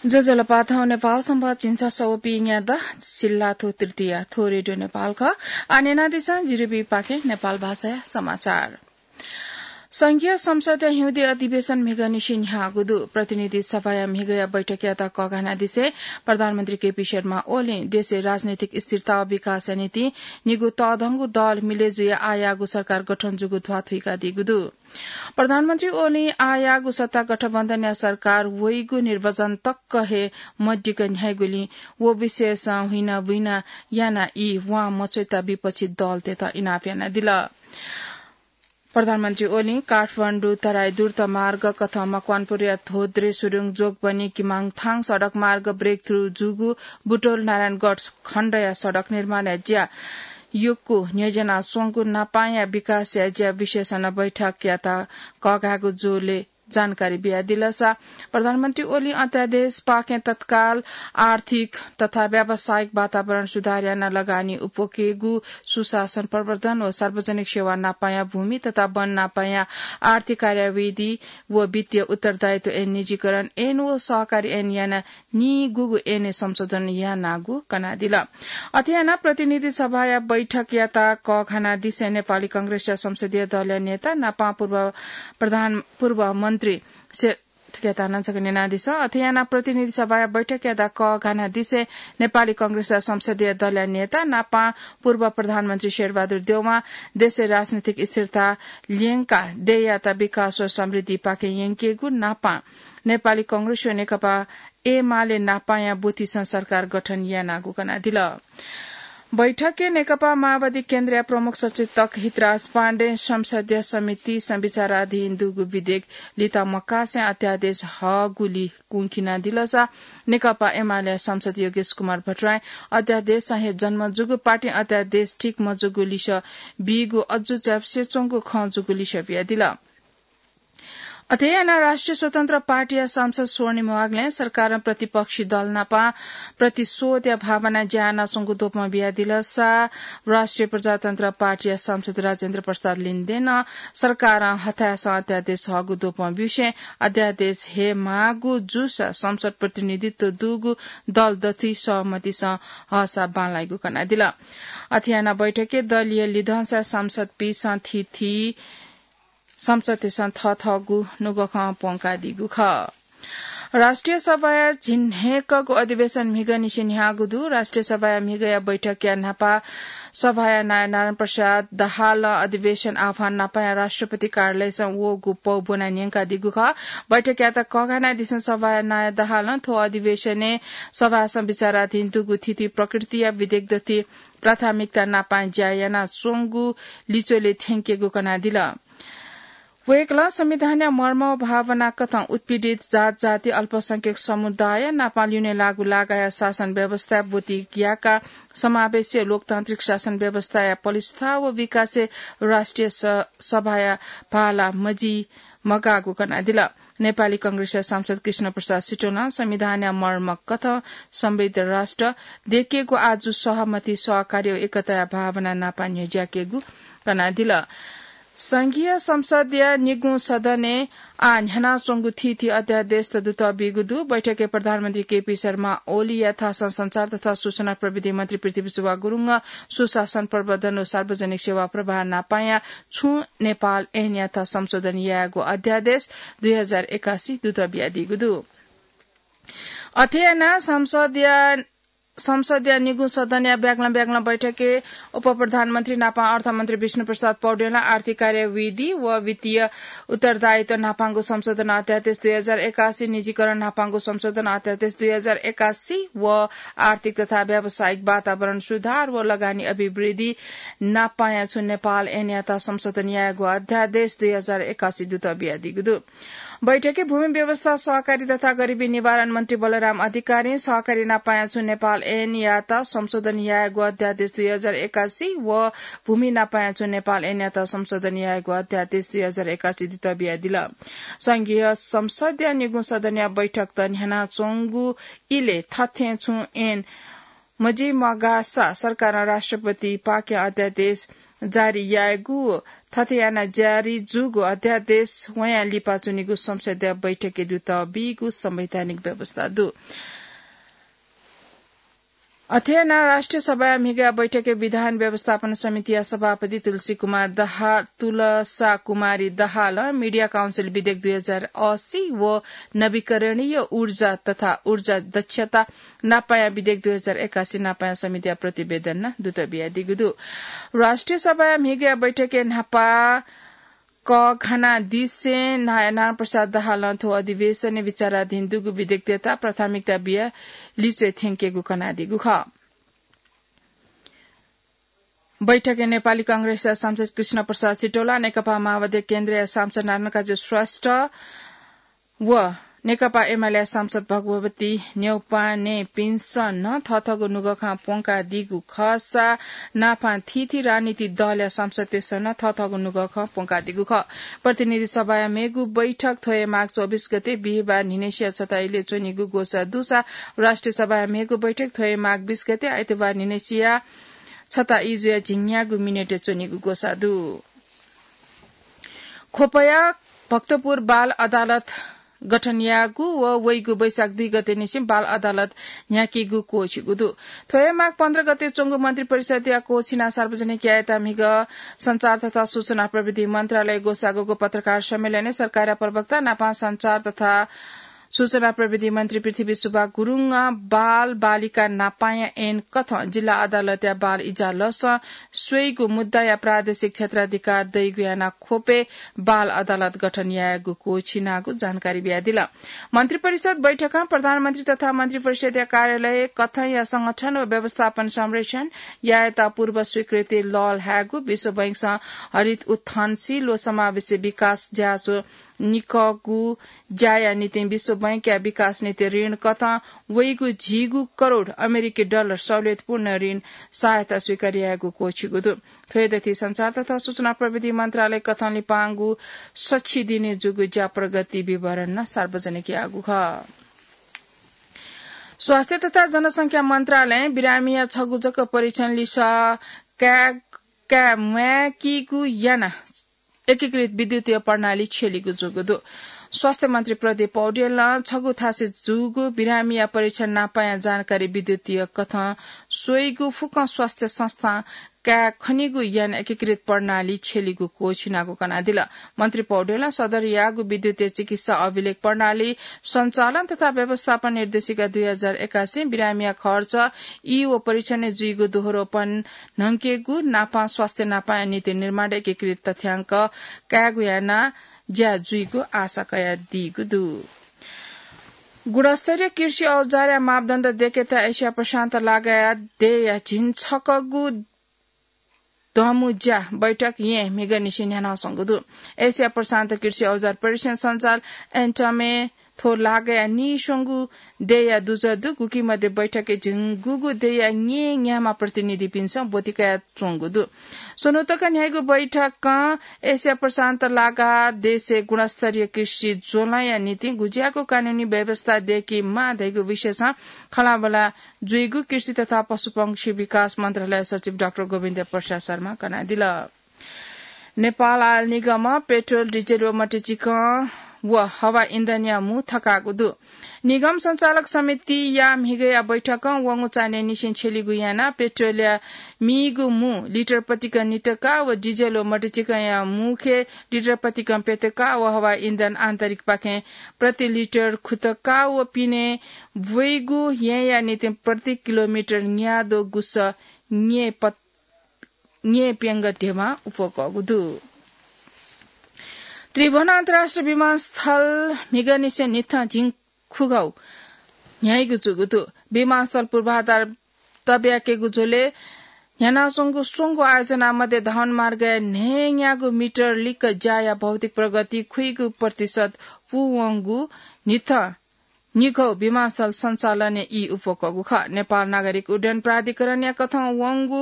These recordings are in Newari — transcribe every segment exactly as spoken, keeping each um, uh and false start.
ज्वजलपा, थौं नेपाल संवत् झिंछसः व पीन्यादँ सिल्लाथ्व तृतीया। थ्व रेडियो नेपाल खः। आः न्यनादिसँ जिरिबी पाखें नेपाल भाषाया समाचार। संघीय संसदया हिउँदे अधिवेशन म्हिगःनिसें न्ह्याःगु दु। प्रतिनिधि सभाया म्हिगःया बैठकयात कःघानादिसें प्रधानमन्त्री केपी शर्मा ओलीं देशय् राजनैतिक स्थिरता व विकासया निंतिं निगू तःधंगु दल मिले जुयाः आःयाःगु सरकार गठन जूगु ध्वाथुइकादीगु दु। प्रधानमन्त्री ओलीं आःयाःगु सत्ता गठबन्धनया सरकार वइगु निर्वाचन तक हे मदिक्क न्ह्याइगुलिं व विषयसं हुइनाबुइना यानाः ई वां मछ्वयेत विपक्षी दलतय्त इनाप यानादिल। प्रधानमन्त्री ओलीं काठमाडौं तराई द्रुत मार्ग कथं मकवानपुरया धोद्रे सुरुङ जोगबनी किमाङथाङ सडक मार्ग breakthrough जूगु बुटवल नारायणगढ खण्डया सडक निर्माणया ज्या यक्व न्ह्यज्यानाच्वंगु नापांया विकासया ज्या विषयसं नं बैठकयात कःघाःगु जूलय् जानकारी बियादिलसा प्रधानमन्त्री ओलीं अध्यादेशपाखें तत्काल आर्थिक तथा व्यावसायिक वातावरण सुधार यानाः लगानी उप्वकेगु, सुशासन प्रवर्धन व सार्वजनिक सेवा नापांया भूमि तथा वन नापांया आर्थिक कार्याविधि व वित्तीय उत्तरदायित्व ऐन निजीकरण ऐन व सहकारी ऐन यानाः निगूगु ऐनय् संशोधन यानागु कनादिल। अथे यानाः प्रतिनिधि सभाया बैठकयात कःघानादिसें नेपाली कांग्रेसया संसदीय दलया नेता नापां पूर्व प्रधान, पूर्व मन्त्री से-, थुकियात नं छकः न्यनादिसँ। अथे यानाः प्रतिनिधि सभाया बैठकयात कःघानादिसें नेपाली कांग्रेसया संसदीय दलया नेता नापां पूर्व प्रधानमन्त्री शेरबहादुर देउवां देशय् राजनैतिक स्थिरता ल्यंकाः देय्‌यात विकास व समृद्धिपाखें यंकेगु नापां नेपाली कांग्रेस व नेकपा एमाले नापांया ब्वतिसं सरकार गठन यानागु कनादिल। बैठकय् नेकपा माओवादी केन्द्रया प्रमुख सचेतक हितराज पाण्डें संसदीय समितिसं विचाराधीन दुगु विधेयक लित मकासें अध्यादेश हःगुली कुंखिनादिलसा नेकपा एमाले सांसद योगेश कुमार भट्टराईं अध्यादेशसं हे जन्म जूगु, पार्टीं अध्यादेश ठीक मजूगु लिसः बीगु, अजू च्यापुसे च्वंगु खँ जूगु लिसः बियादिल। अथे यानाः राष्ट्रिय स्वतन्त्र पार्टीया सांसद स्वर्णिम वाग्लें सरकारं प्रतिपक्षी दल नाप प्रतिशोधया भावनां ज्या यानाच्वंगु द्वपं बियादिलसा राष्ट्रिय प्रजातन्त्र पार्टीया सांसद राजेन्द्र प्रसाद लिन्देनं सरकारं हथाय्‌सं अध्यादेश हःगु द्वपं ब्यूसें अध्यादेश हयेमाःगु जूसा संसद प्रतिनिधित्व दुगु दल दथुइ सहमतिसं हःसा बांलाइगु कनादिल। अथे यानाः बैठकय् दलीय लिधंसा सांसदपिंसं थीथी संसदतय्‌सं थःथःगु नुगः खँ प्वंकादीगु खः। राष्ट्रिय सभाया झिंन्हय्‌कःगु अधिवेशन म्हिगःनिसें न्ह्याःगु दु। राष्ट्रिय सभाया म्हिगःया बैठकया न्हापा सभाया नायः नारायण प्रसाद दाहालं अधिवेशन आह्वान नापाया राष्ट्रपति कार्यालयसं वःगु पौ ब्वना न्यंकादीगु खः। बैठकयात कःघानादिसें सभाया नायः दाहालं थ्व अधिवेशनय् सभासं विचाराधीन दुगु थीथी प्रकृतिया विधेयक दथुइ प्राथमिकता नापां ज्या यानाच्वंगु लिच्वलय् थ्यंकेगु कनादिल। वय्‌कलं संविधानया मर्म व भावना कथं उत्पीडित जात जाति अल्पसंख्यक समुदाय नाप ल्यूने लाःगु लागाया शासन व्यवस्था ब्वति याकाः समावेशी लोकतान्त्रिक शासन व्यवस्थाया पलिस्था व विकासय् राष्ट्रिय स-, सभाया भाला मजि मगाःगु कनादिल। नेपाली कांग्रेसया सांसद कृष्ण प्रसाद सिटोलं संविधानया मर्म कथं समृद्ध राष्ट्र दयेकेगु आजु सहमति सहकार्य व एकताया भावना नाप न्ह्यज्याकेगु कनादिल। संघीय संसदया निगुं सदनय् आः न्ह्यानाच्वंगु थीथी अध्यादेशत दुतः बीगु दु। बैठकय् प्रधानमन्त्री केपी शर्मा ओलीया थासं संचार तथा सूचना प्रविधि मन्त्री पृथ्वीशुवा गुरुङं सुशासन प्रवर्धन व सार्वजनिक सेवा प्रवाह नापाया छुं नेपाल ऐनयात संशोधन यायेगु अध्यादेश दुई हजार एकासी दुतः बियादीगु दु। अथे यानाः संसदया संसदया निगू सदनया ब्यागलं ब्यागलं बैठकय् उपप्रधानमन्त्री नापं अर्थमन्त्री विष्णुप्रसाद पौडेलं आर्थिक कार्यविधि व वित्तीय उत्तरदायित्व नापांगु संशोधन अध्यादेश दुई हजार एकासी, निजीकरण नापांगु संशोधन अध्यादेश दुई हजार एकासी व आर्थिक तथा व्यावसायिक वातावरण सुधार व लगानी अभिवृद्धि नापांया छुं नेपाल ऐनयात संशोधन यायेगु अध्यादेश दुई हजार एकासी दुतः बियादीगु दु। बैठकय् भूमि व्यवस्था, सहकारी तथा गरिबी निवारण मन्त्री बलराम अधिकारीं सहकारी नापांया छुं नेपाल ऐनयात संशोधन यायेगु अध्यादेश दुई हजार एकासी व भूमि नापांया छुं नेपाल ऐनयात संशोधन यायेगु अध्यादेश दुई हजार एकासी दुतः बियादिल। संघीय संसदया निगू सदनया बैठकत न्ह्यानाच्वंगु इलय् थथें छुं ऐन मजिमगाःसा सरकारं राष्ट्रपतिपाखें अध्यादेश जारी यायेगु, थथे याना जारी जूगु अध्यादेश वयां लिपा च्वनीगु संसदीय बैठकय् दुत बीगु संवैधानिक व्यवस्था दु। अथे याना राष्ट्रिय सभाया म्हिगया बैठकय् विधान व्यवस्थापन समितिया सभापति तुलसी कुमार दहा-, तुलसा कुमारी दहालं मिडिया काउन्सिल विधेयक दुई हजार असी व नवीकरणीय ऊर्जा तथा ऊर्जा दक्षता नापाया विधेयक दुई हजार एकासी नापाया समितिया प्रतिवेदन दुत बियादीगु दु। राष्ट्रिय सभाया म्हिगया बैठकय् न्हापा कःघानादिसें नारायण प्रसाद दाहालं थ्व अधिवेशनय् विचाराधीन दुगु विधेयकतय्त प्राथमिकता बियाः लिच्वय् थ्यंकेगु कनादीगु खः। बैठकय् नेपाली कांग्रेसया सांसद कृष्ण प्रसाद सिटौला, नेकपा माओवादी केन्द्रया सांसद नारायणकाजी श्रेष्ठ व नेकपा एमालेया सांसद भगवती न्यौपानेपिन्सं नं थःथःगु नुगः खँ प्वंकादीगु खःसा नापं थीथी राजनीतिक दलया सांसदतय्सं नं थःथःगु नुगः खँ प्वंकादीगु खः। प्रतिनिधि सभाया मेगु बैठक थ्व हे माघ चौबिस गते बिहिबार न्हिनय्सिया छता इलय् च्वनीगु ग्वसाः दुसा राष्ट्रिय सभाया मेगु बैठक थ्व हे माघ बिस गते आइतबार न्हिनय्सिया छता ई जुया झिंन्यागू मिनेटय् च्वनीगु ग्वसाः दु। ख्वपया भक्तपुर बाल अदालत गठन याःगु व वइगु वैशाख दुई गते निसें बाल अदालत न्ह्याकीगु क्वःछिगु दु। थ्व हे माघ पन्ध्र गते च्वंगु मन्त्रिपरिषदया क्वःछिना सार्वजनिक यायेत म्हिगः सञ्चार तथा सूचना प्रविधि मन्त्रालय ग्वसाःगु पत्रकार सम्मेलनय् सरकारया प्रवक्ता नापं सञ्चार तथा सूचना प्रविधि मन्त्री पृथ्वी सुब्बा गुरुङं बाल बालिका नापाया ऐन कथं जिल्ला अदालतया बाल इजलासं स्वइगु मुद्दाया प्रादेशिक क्षेत्राधिकार दइगु यानाः ख्वपय् बाल अदालत गठन यायेगु क्वःछिनागु जानकारी बियादिल। मन्त्रिपरिषद बैठकं प्रधानमन्त्री तथा मन्त्रिपरिषदया कार्यालय कथंया संगठन व व्यवस्थापन संरक्षण यायेत पूर्व स्वीकृति लःल्हायेगु, विश्व बैंकसं हरित उत्थान, शील व समावेशी विकास ज्याझ्वः निकःगु ज्याया निंतिं विश्व बैंकया विकास नीति ऋण कथं वइगु झिगू करोड अमेरिकी डलर सहुलियतपूर्ण ऋण सहायता स्वीकार यायेगु क्वःछिगु दु। थ्व हे दथुइ सञ्चार तथा सूचना प्रविधि मन्त्रालय कथं लिपांगु सछि दिने जूगु ज्या प्रगति विवरण नं सार्वजनिक याःगु खः। स्वास्थ्य तथा जनसंख्या मन्त्रालयं बिरामीया छगू जक परीक्षण लिसः काये, काये म्वायेकीगु यानाः एकीकृत विद्युतीय प्रणाली छ्यलीगु जूगु दु। स्वास्थ्य मन्त्री प्रदीप पौडेलं छगू थासय् जूगु बिरामीया परीक्षण नापाया जानकारी विद्युतीय कथं स्वइगु फुक्कं स्वास्थ्य संस्थां काये खनीगु यानाः एकीकृत प्रणाली छ्यलीगु क्वःछिनागु कनादिल। मन्त्री पौडेलं सदर याःगु विद्युतीय चिकित्सा अभिलेख प्रणाली सञ्चालन तथा व्यवस्थापन निर्देशिका दुई हजार एकासी, बिरामीया खर्च ई व परीक्षणय् जुइगु दोहोरोपन न्हंकेगु नापं स्वास्थ्य नापाया नीति निर्माण एकीकृत तथ्याङ्क कायेगु यानाः ज्या जुइगु आशा कयादीगु दु। गुणस्तरीय कृषि औजारया मापदण्ड दय्केत एसिया प्रशान्त लागाया देय्या झिंछकःगु दमु ज्या बैठक येँ म्हिगःनिसें न्ह्यानाच्वंगु दु। एसिया प्रशान्त कृषि औजार परिषद सञ्चाल एन्टमय् थ्व लागाया नीस्वंगू देय्या दुजः दु। गुकी मध्ये बैठकय् झिंगूगू देय्या न्येन्याम्ह प्रतिनिधिपिन्सं ब्वति कयाच्वंगु दु। स्वन्हु तक न्ह्याइगु बैठकं एसिया प्रशान्त लागाः देशय् गुणस्तरीय कृषि ज्वलंया निंतिं गुज्याःगु कानूनी व्यवस्था दय्केमाः धइगु विषयसं खँल्हाबल्हा जुइगु कृषि तथा पशुपक्षी विकास मन्त्रालय सचिव डाक्टर गोविन्द प्रसाद शर्मां कनादिल। नेपाल आयल निगमं पेट्रोल, डिजेल व मट्टीचिकं व हवा इन्धनया मू थकाःगु दु। निगम सञ्चालक समितिया म्हिगःया बैठकं वंगु चान्हय्निसें छ्यलीगु यानाः पेट्रोलया मीगु मू लिटर प्रतिकं नितका व डिजेल व मट्टीचिकंया मूखे लिटर प्रतिकं प्यतका व हवा इन्धन आन्तरिकपाखें प्रति लिटर खुतका व पिने ब्वइगु येँया निंतिं प्रति किलोमिटर न्याद्वः गुसः न्ये प्यंगः ध्यबा उपकःगु दु। त्रिभुवन अन्तर्राष्ट्रिय विमानस्थल म्हिगःनिसें न्हिथं झिंखुगः न्ह्याइगु जूगु दु। विमानस्थल पूर्वाधार तब्याकेगु झ्वलय् न्ह्यानाच्वंगु स्वंगू आयोजना मध्ये धावन मार्गया न्हय्न्यागू मिटर लिक्क ज्याया भौतिक प्रगति खुइगू प्रतिशत पूवंगु न्हिथं न्हिगः विमानस्थल सञ्चालनय् ई उपकःगु खः। नेपाल नागरिक उड्डयन प्राधिकरणया कथं वंगु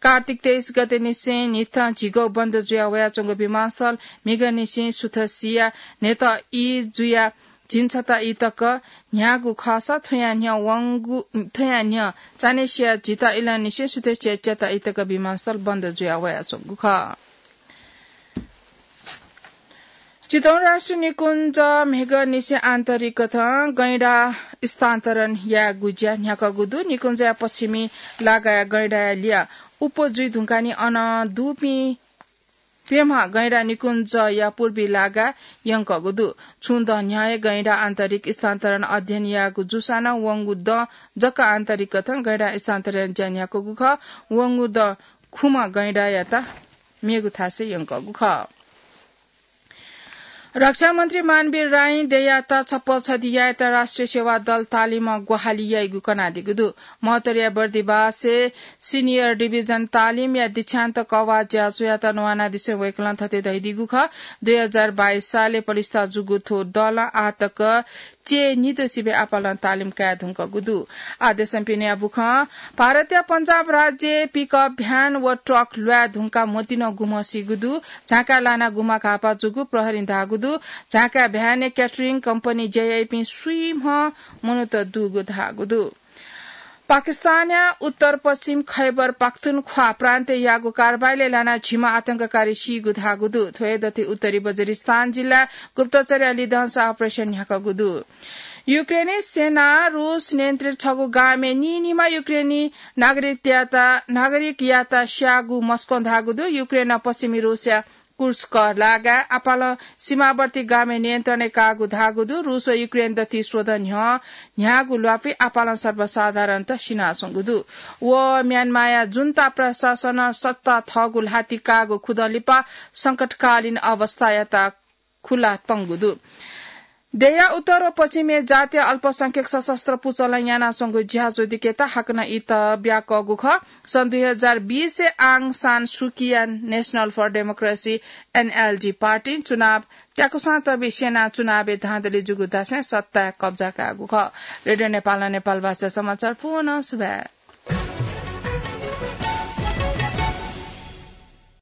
कार्तिक तेइस गतेनिसें न्हिथं झिगः बन्द जुया वयाच्वंगु विमानस्थल म्हिगःनिसें सुथसिया न्हय्त ई जुया झिंछता इतक न्ह्याःगु खःसा थ्वया न्ह्यः वंगु, थ्वया न्ह्यः चान्हय्सिया झिता इलंनिसें सुथय्सिया च्याता इतक विमानस्थल बन्द जुया वयाच्वंगु खः। चितवन राष्ट्रिय निकुञ्ज म्हेगंनिसें आन्तरिक कथं गैंडा स्थानान्तरण यायेगु ज्या न्ह्याकःगु दु। निकुञ्जया पश्चिमी लागाया गैंडाया लिया उप्वः जुइ धुंकाः नि अन दुपिं प्यम्ह गैंडा निकुञ्जया पूर्वी लागाय् यंकःगु दु। छुं दँ न्ह्यः हे गैंडा आन्तरिक स्थानान्तरण अध्ययन याःगु जूसां नं वंगु दँ जक आन्तरिक कथं गैंडा स्थानान्तरण ज्या न्ह्याकःगु खः। वंगु दँ खुम्ह गैंडायात मेगु थासय् यंकःगु खः। रक्षा मन्त्री मानवीर राईं देयात छप्पँ छधि यायेत राष्ट्रिय सेवा दल तालिमं ग्वाहालि याइगु कनादीगु दु। महोत्तरीया बर्दिवासय् सिनियर डिभिजन तालिमया दीक्षान्त कवाः ज्याझ्वःयात न्वानादिसें वय्कलं थथे धयादीगु खः, दुई हजार बाइस सालय् प्रतिष्ठा जूगु थ्व दलं आःतक च्यय् निद्वः सिबय् आपालं तालिम काये धुंकूगु दु। आः देशं पिनेया बुखँ भारतया पञ्जाब राज्यय् पिकअप भ्यान व ट्रक ल्वाये धुंकाः म्वतिनं गुम्ह सीगु दु। झाँकाय् लानाः गुम्ह घाःपाः जूगु प्रहरीं धाःगु दु। झाँकाय् भ्यानय् क्याटरिङ कम्पनीइ ज्या याइपिं स्वीम्ह मनूत दुगु धाःगु दु। पाकिस्तानया उत्तर पश्चिम खैबर पाख्तुनख्वा प्रान्तय् याःगु कारबाहीलय् लानाः झिम्ह आतंककारी सीगु धाःगु दु। थ्व हे दथुइ उत्तरी वजिरिस्तान जिल्लाय् गुप्तचरया लिधंसा अपरेसन न्ह्याकःगु दु। युक्रेनी सेनां रूस नियन्त्रित छगू गामय् नीनिम्ह युक्रेनी नागरिकयात, नागरिकयात स्याःगु मस्कों धाःगु दु। युक्रेनं पश्चिमी रूसया कुर्स्क लागाय् आपालं सीमावर्ती गामय् नियन्त्रणय् काःगु धाःगु दु। रूस व युक्रेन दथुइ स्वदँ न्ह्यः न्ह्याःगु ल्वापुइ आपालं सर्वसाधारणत सिनाच्वंगु दु। व म्यानमाया जुन्ता प्रशासनं सत्ता थःगु ल्हातिइ काःगु खुदँ लिपा संकटकालीन अवस्थायात खुला तंगु दु। देय्‌या उत्तर व पश्चिमय् जातीय अल्पसंख्यक सशस्त्र पुचलं यानाच्वंगु ज्याझ्वः दिकेत हाकनं इत ब्याकःगु खः। सन् दुई हजार बिसय् आङ सान सुकीया National for Democracy, एनएलडी पार्टीं चुनाव त्याकुसां तबि सेनां चुनावय् धाँधली जूगु धासें सत्ताय् कब्जा काःगु खः। रेडियो नेपालं नेपाल भाषा समाचार पूवं सुभाय्।